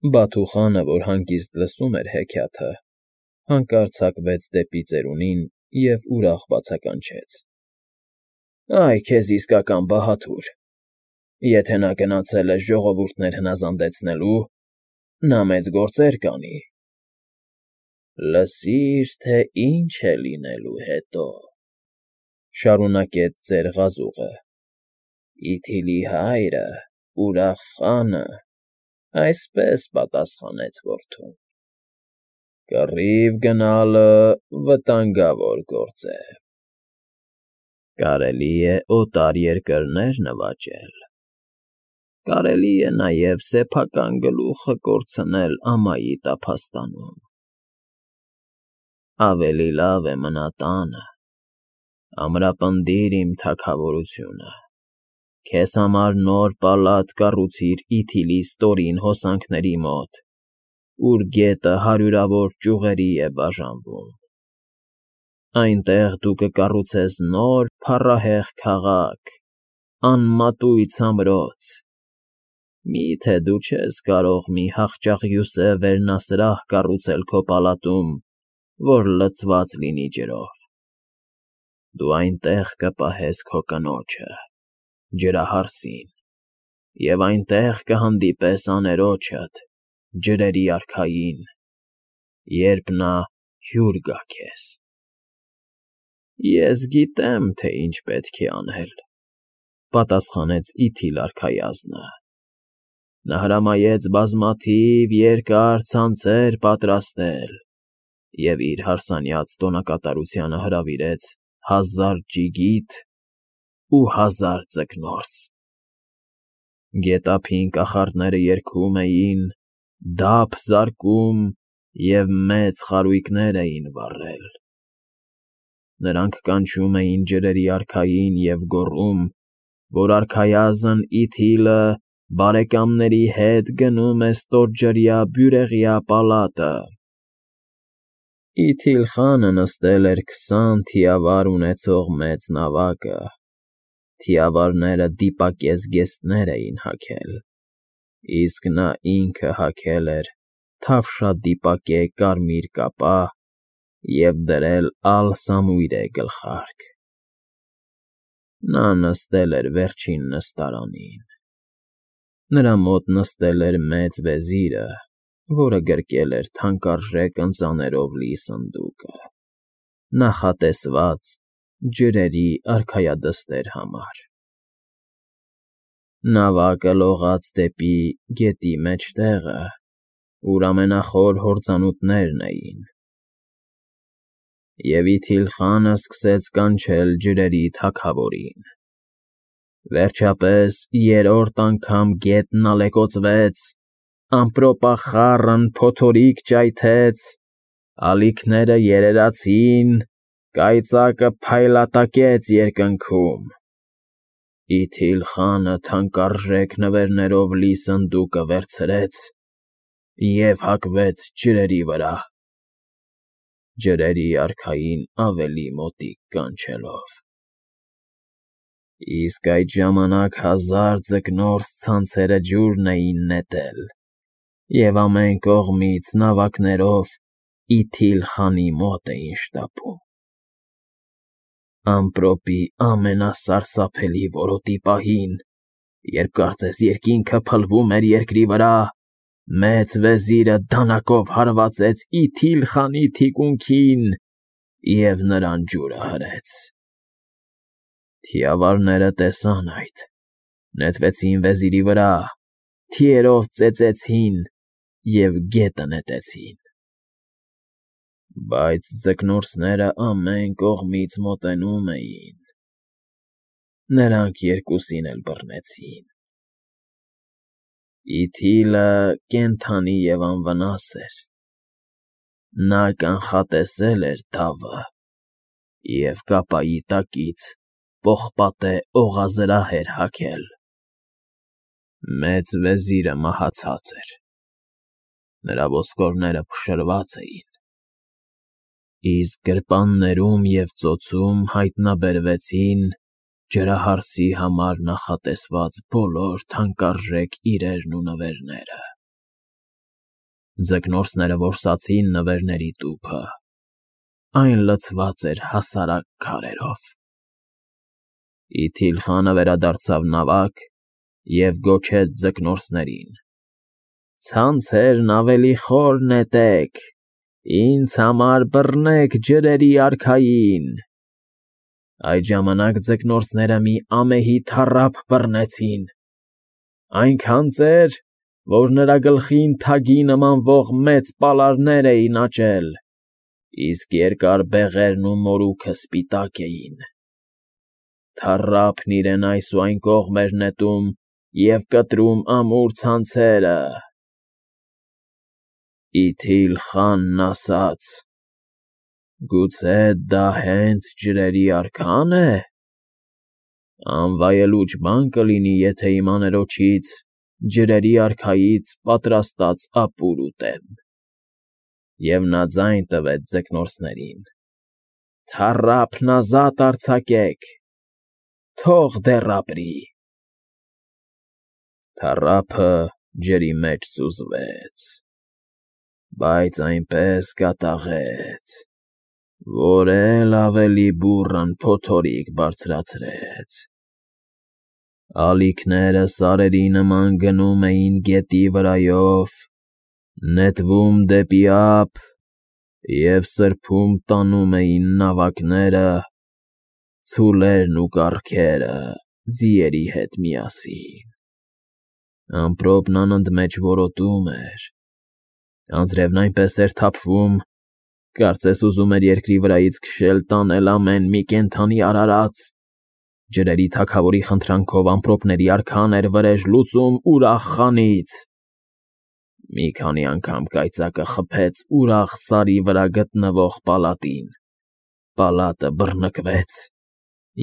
Բաթուխանը, որ հանգիստ լսում էր հեքիաթը, հանկարծ հակվեց դեպի ծերունին և ուրախ բացականչեց. ֊ Այ քեզ իսկական բահադուր… Եթե նա գնացել է ժողովուրդներ հնազանդեցնելու, նա մեծ գործեր կանի… Լսիր, թե ինչ է լինելու հետո,֊ շարունակեց ծեր Ղազուղը. Իթիլի հայրը, Ուրախ խանը, այսպես պատասխանեց որդուն. «Կռիվ գնալը վտանգավոր գործ է… Կարելի է օտար երկրներ նվաճել, կարելի է նաև սեփական գլուխը կորցնել ամայի տափաստանում… Ավելի լավ է մնա տանը, ամրապնդիր իմ թագավորությունը, քեզ համար նոր պալատ կառուցիր Իթիլի ստորին հոսանքների մոտ, ուր գետը հարյուրավոր ճյուղերի է բաժանվում… Այնտեղ դու կկառուցես նոր փառահեղ քաղաք, անմատույց ամրոց… Մի՞թե դու չես կարող մի հախճաղյուսե վերնասրահ կառուցել քո պալատում, որ լցված լինի ջրով… Դու այնտեղ կպահես քո կնոջը, ջրահարսին, և այնտեղ կհանդիպես աներոջդ, ջրերի արքային, երբ նա հյուր գա քեզ… Ես գիտեմ, թե ինչ պետք է անել,֊ պատասխանեց Իթիլ արքայազնը. Նա հրամայեց բազմաթիվ երկար ցանցեր պատրաստել և իր հարսանյաց տոնակատարությանը հրավիրեց 1000 ճիգիթ ու 1000 ձկնորս… Գետափին կախարդները երգում էին, դափ զարկում և մեծ խարույկներ էին վառել… Նրանք կանչում էին ջրերի արքային և գոռում, որ արքայազն Իթիլը բարեկամների հետ գնում է ստորջրյա բյուրեղյա պալատը… Իթիլ խանը նստել էր 20 թիավար ունեցող մեծ նավակը, թիավարները դիպակեզգեստներ էին հագել, իսկ նա ինքը հագել էր թավշադիպակե կարմիր կապա և դրել ալսամույրե գլխարկ… Նա նստել էր վերջին նստարանին… Նրա մոտ նստել էր մեծ վեզիրը, որը գրկել էր թանկարժեք ընծաներով լի սնդուկը, նախատեսված ջրերի արքայադստեր համար… Նավակը լողաց դեպի գետի մեջտեղը, ուր ամենախոր հորձանուտներն էին, և Իթիլ խանը սկսեց կանչել ջրերի թագավորին… Վերջապես երրորդ անգամ գետն ալեկոծվեց, ամպրոպախառն փոթորիկ ճայթեց, ալիքները երերացին, կայծակը փայլատակեց երկնքում… Իթիլ խանը թանկարժեք նվերներով լի սնդուկը վերցրեց և հակվեց ջրերի վրա, ջրերի արքային ավելի մոտիկ կանչելով… Իսկ այդ ժամանակ 1000 ձկնորս ցանցերը ջուրն էին նետել և ամեն կողմից նավակներով Իթիլ խանի մոտ էին շտապում… Ամպրոպի ամենասարսափելի որոտի պահին, երբ կարծես երկինքը փլվում էր երկրի վրա, մեծ վեզիրը դանակով հարվածեց Իթիլ խանի թիկունքին և նրան ջուրը հրեց… Թիավարները տեսան այդ, նետվեցին վեզիրի վրա, թիերով ծեծեցին և գետը նետեցին… Բայց ձկնորսները ամեն կողմից մոտենում էին, նրանք երկուսին էլ բռնեցին… Իթիլը կենդանի և անվնաս էր, նա կանխատեսել էր դավը և կապայի տակից պողպատե օղազրահ էր հագել… Մեծ վեզիրը մահացած էր, նրա ոսկորները փշրված էին, իսկ գրպաններում և ծոցում հայտնաբերվեցին ջրահարսի համար նախատեսված բոլոր թանկարժեք իրերն ու նվերները… Ձկնորսները որսացին նվերների տուփը, այն լցված էր հասարակ քարերով։ Իթիլ խանը վերադարձավ նավակ և գոչեց ձկնորսներին. «Ցանցերն ավելի խոր նետեք, ինձ համար բռնեք ջրերի արքային»։ Այդ ժամանակ ձկնորսները մի ամեհի թառափ բռնեցին, այնքան ծեր, որ նրա գլխին թագի նմանվող մեծ պալարներ էին աճել, իսկ երկար բեղերն ու մորուքը սպիտակ էին։ Թառափն իրեն այս ու այն կողմ էր նետում և կտրում ամուր ցանցերը։ Իթիլ խանն ասաց. «Գուցե դա հենց ջրերի արքա՞ն է։ Անվայելուչ բան կլինի, եթե իմ աներոջից ջրերի արքայից պատրաստած ապուր ուտեմ»։ Եվ նա ձայն տվեց ձկնորսներին. «Թառափն ազատ արձակեք, թող դեռ ապրի»։ Թառափը ջրի մեջ սուզվեց, բայց այնպես կատաղեց, որ էլ ավելի բուռն փոթորիկ բարձրացրեց։ Ալիքները սարերի նման գնում էին գետի վրայով, նետվում դեպի ափ և սրբում տանում էին նավակները, ցուլերն ու կառքերը ձիերի հետ միասին։ Ամպրոպն անընդմեջ որոտում էր, անձրևն այնպես էր թափվում, կարծես ուզում էր երկրի վրայից քշել տանել ամեն մի կենդանի արարած։ Ջրերի թագավորի խնդրանքով ամպրոպների արքան էր վրեժ լուծում ուրախ խանից։ Մի քանի անգամ կայծակը խփեց ուրախ սարի վրա գտնվող պալատին, պալատը բռնկվեց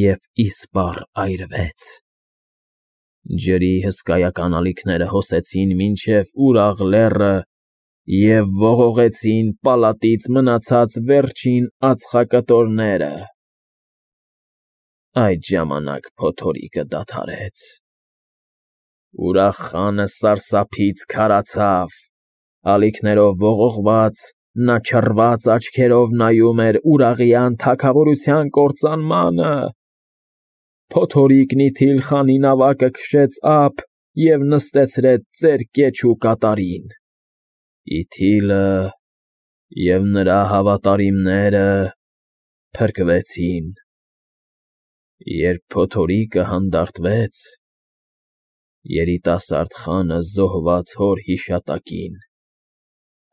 և իսպառ այրվեց։ Ջրի հսկայական ալիքները հոսեցին մինչև ուրախ լեռը և ողողեցին պալատից մնացած վերջին ածխակտորները։ Այդ ժամանակ փոթորիկը դադարեց։ Ուրախ խանը սարսափից քարացավ, ալիքներով ողողված, նա չռված աչքերով նայում էր ուրաղիան թագավորության կործանմանը։ Փոթորիկն Իթիլ խանի նավակը քշեց ափ և նստեցրեց ծեր կեչ ու կատարին։ Իթիլը և նրա հավատարիմները փրկվեցին։ Երբ փոթորիկը հանդարտվեց, երիտասարդ խանը զոհված հոր հիշատակին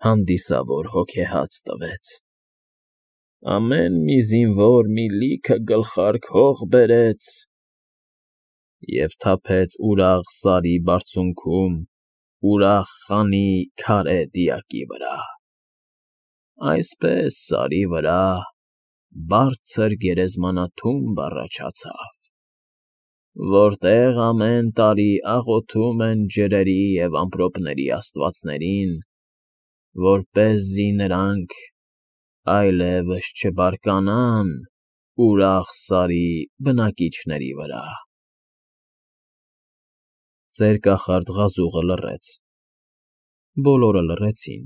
հանդիսավոր հոգեհաց տվեց։ Ամեն մի զինվոր մի լիքը գլխարկ հող բերեց և թափեց ուրախ սարի բարձունքում ուրախ խանի քարե դիակի վրա։ Այսպես սարի վրա բարձր գերեզմանատումբ առաջացավ, որտեղ ամեն տարի աղոթում են ջրերի և ամպրոպների աստվածներին, որպեսզի նրանք այլևս չբարկանան ուրախ սարի բնակիչների վրա։ Ծեր կախարդ ղազուղը լռեց։ Բոլորը լռեցին,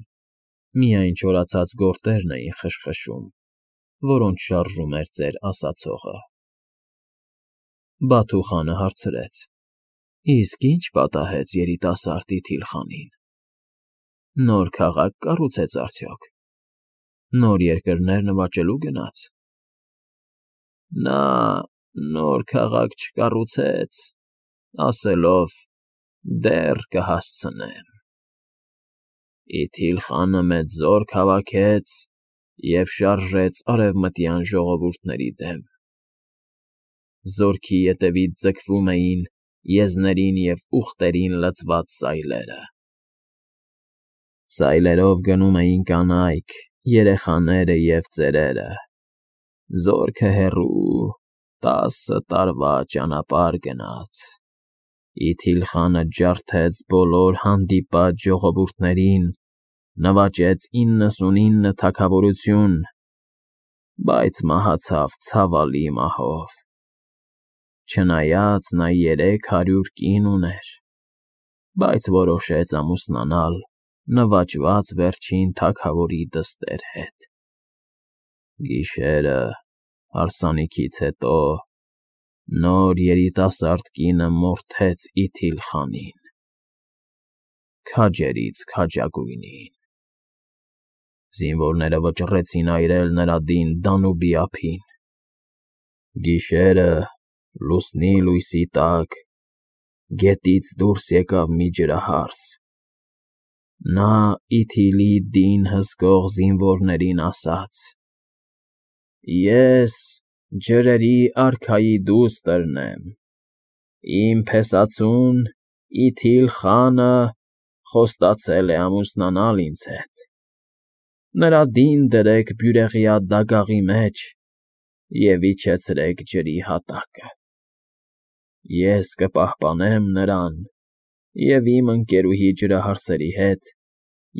միայն չորացած գորտերն էին խշխշում, որոնց շարժում էր ծեր ասացողը։ Բաթու խանը հարցրեց. «Իսկ ի՞նչ պատահեց երիտասարդ Իթիլ խանին։ Նոր քաղաք կառուցեց արդյոք։ Նոր երկրներ նվաճելու գնաց»։ Նա նոր քաղաք չկառուցեց, ասելով. «Դեռ կհասցնեմ»։ Իթիլ խանը մեծ զորք հավաքեց և շարժեց արևմտյան ժողովուրդների դեմ։ Զորքի ետևից ձգվում էին եզներին և ուղտերին լցված սայլերը։ Սայլերով գնում էին կանայք, երեխաները և ծերերը։ Զորքը հեռու 10 տարվա ճանապարհ գնաց։ Իթիլ խանը ջարդեց բոլոր հանդիպած ժողովուրդներին, նվաճեց 99 թագավորություն, բայց մահացավ ցավալի մահով։ Չնայած նա 300 կին ուներ, բայց որոշեց ամուսնանալ նվաճված վերջին թագավորի դստեր հետ։ Գիշերը հարսանիքից հետո նոր երիտասարդ կինը մորթեց Իթիլ խանին, քաջերից քաջագույնին։ Զինվորները վճռեցին այրել նրա դին Դանուբի ափին։ Գիշերը լուսնի լույսի տակ գետից դուրս եկավ մի ջրահարս։ Նա Իթիլի դին հսկող զինվորներին ասաց. «Ես ջրերի արքայի դուստրն եմ։ Իմ փեսացուն Իթիլ խանը խոստացել է ամուսնանալ ինձ հետ։ Նրա դին դրեք բյուրեղյա դագաղի մեջ և իջեցրեք ջրի հատակը։ Ես կպահպանեմ նրան և իմ ընկերուհի ջրահարսերի հետ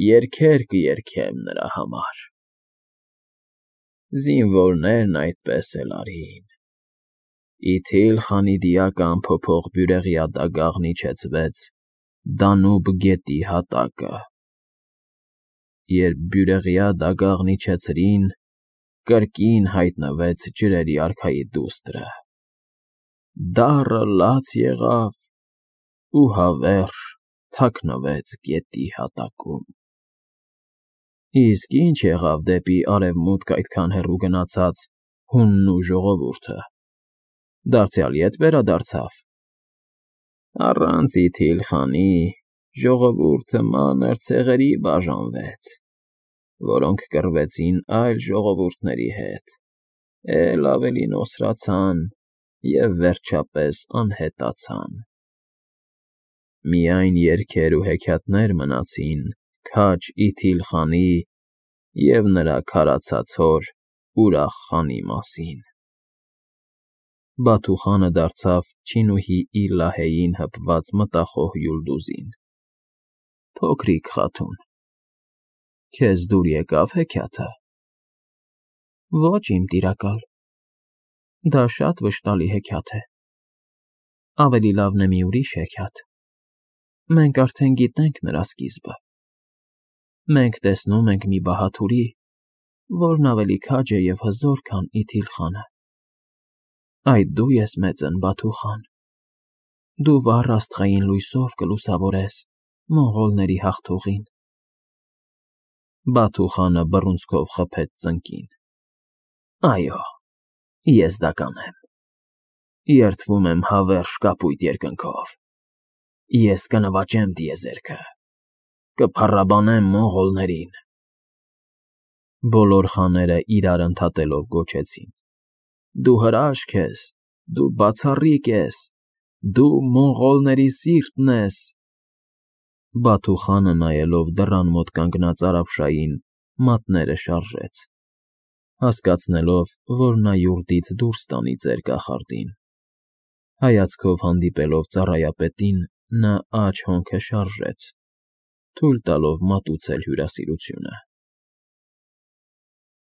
երգեր կերգեմ նրա համար»։ Զինվորներն այդպես էլ արին։ Իթիլ խանի դիակը անփոփոխ բյուրեղյա դագաղն իջեցվեց Դանուբ գետի հատակը։ Երբ բյուրեղյա դագաղն իջեցրին, կրկին հայտնվեց ջրերի արքայի դուստրը։ Դառը լաց եղավ ու հավերժ թաքնվեց գետի հատակում։ Իսկ ի՞նչ եղավ դեպի արևմուտք այդքան հեռու գնացած հունն ու ժողովուրդը, դարձյալ ե՞տ վերադարձավ։ Առանց Իթիլ խանի ժողովուրդը մանր ցեղերի բաժանվեց, որոնք կռվեցին այլ ժողովուրդների հետ, էլ ավելի նոսրացան և վերջապես անհետացան։ Միայն երգեր ու հեքիաթներ մնացին քաջ Իթիլ խանի և նրա քարացած հոր Ուրախ խանի մասին։ Բաթու խանը դարձավ չինուհի Իլահեին հպված մտախոհ Յուլդուզին. «Փոքրիկ խաթուն, քեզ դուր եկա՞վ հեքիաթը»։ «Ոչ, իմ տիրակալ, դա շատ վշտալի հեքիաթ է։ Ավելի լավն է մի ուրիշ հեքիաթ։ Մենք արդեն գիտենք նրա սկիզբը։ Մենք տեսնում ենք մի բահաթուրի, որն ավելի քաջ է և հզոր, քան Իթիլ խանը։ Այդ դու ես մեծն Բաթու խան։ Դու վառ աստղային լույսով կլուսավորես մոնղոլների հաղթողին»։ Բաթու խանը բռունցքով խփեց ծնկին։ «Այո, ես դա կանեմ։ Երդվում եմ հավերժ կապույտ երկնքով։ Ես կնվաճեմ տիեզերքը, կփառաբանեմ մոնղոլներին»։ Բոլոր խաները իրար ընդհատելով գոչեցին. «Դու հրաշք ես, դու բացառիկ ես, դու մոնղոլների սիրտն ես»։ Բաթու խանը նայելով դռան մոտ կանգնած արաբշային մատները շարժեց, հասկացնելով, որ նա յուրտից դուրս տանի ծեր կախարդին։ Հայացքով հանդիպելով ծառայապետին, նա աջ հոնքը շարժեց, թույլ տալով մատուցել հյուրասիրությունը։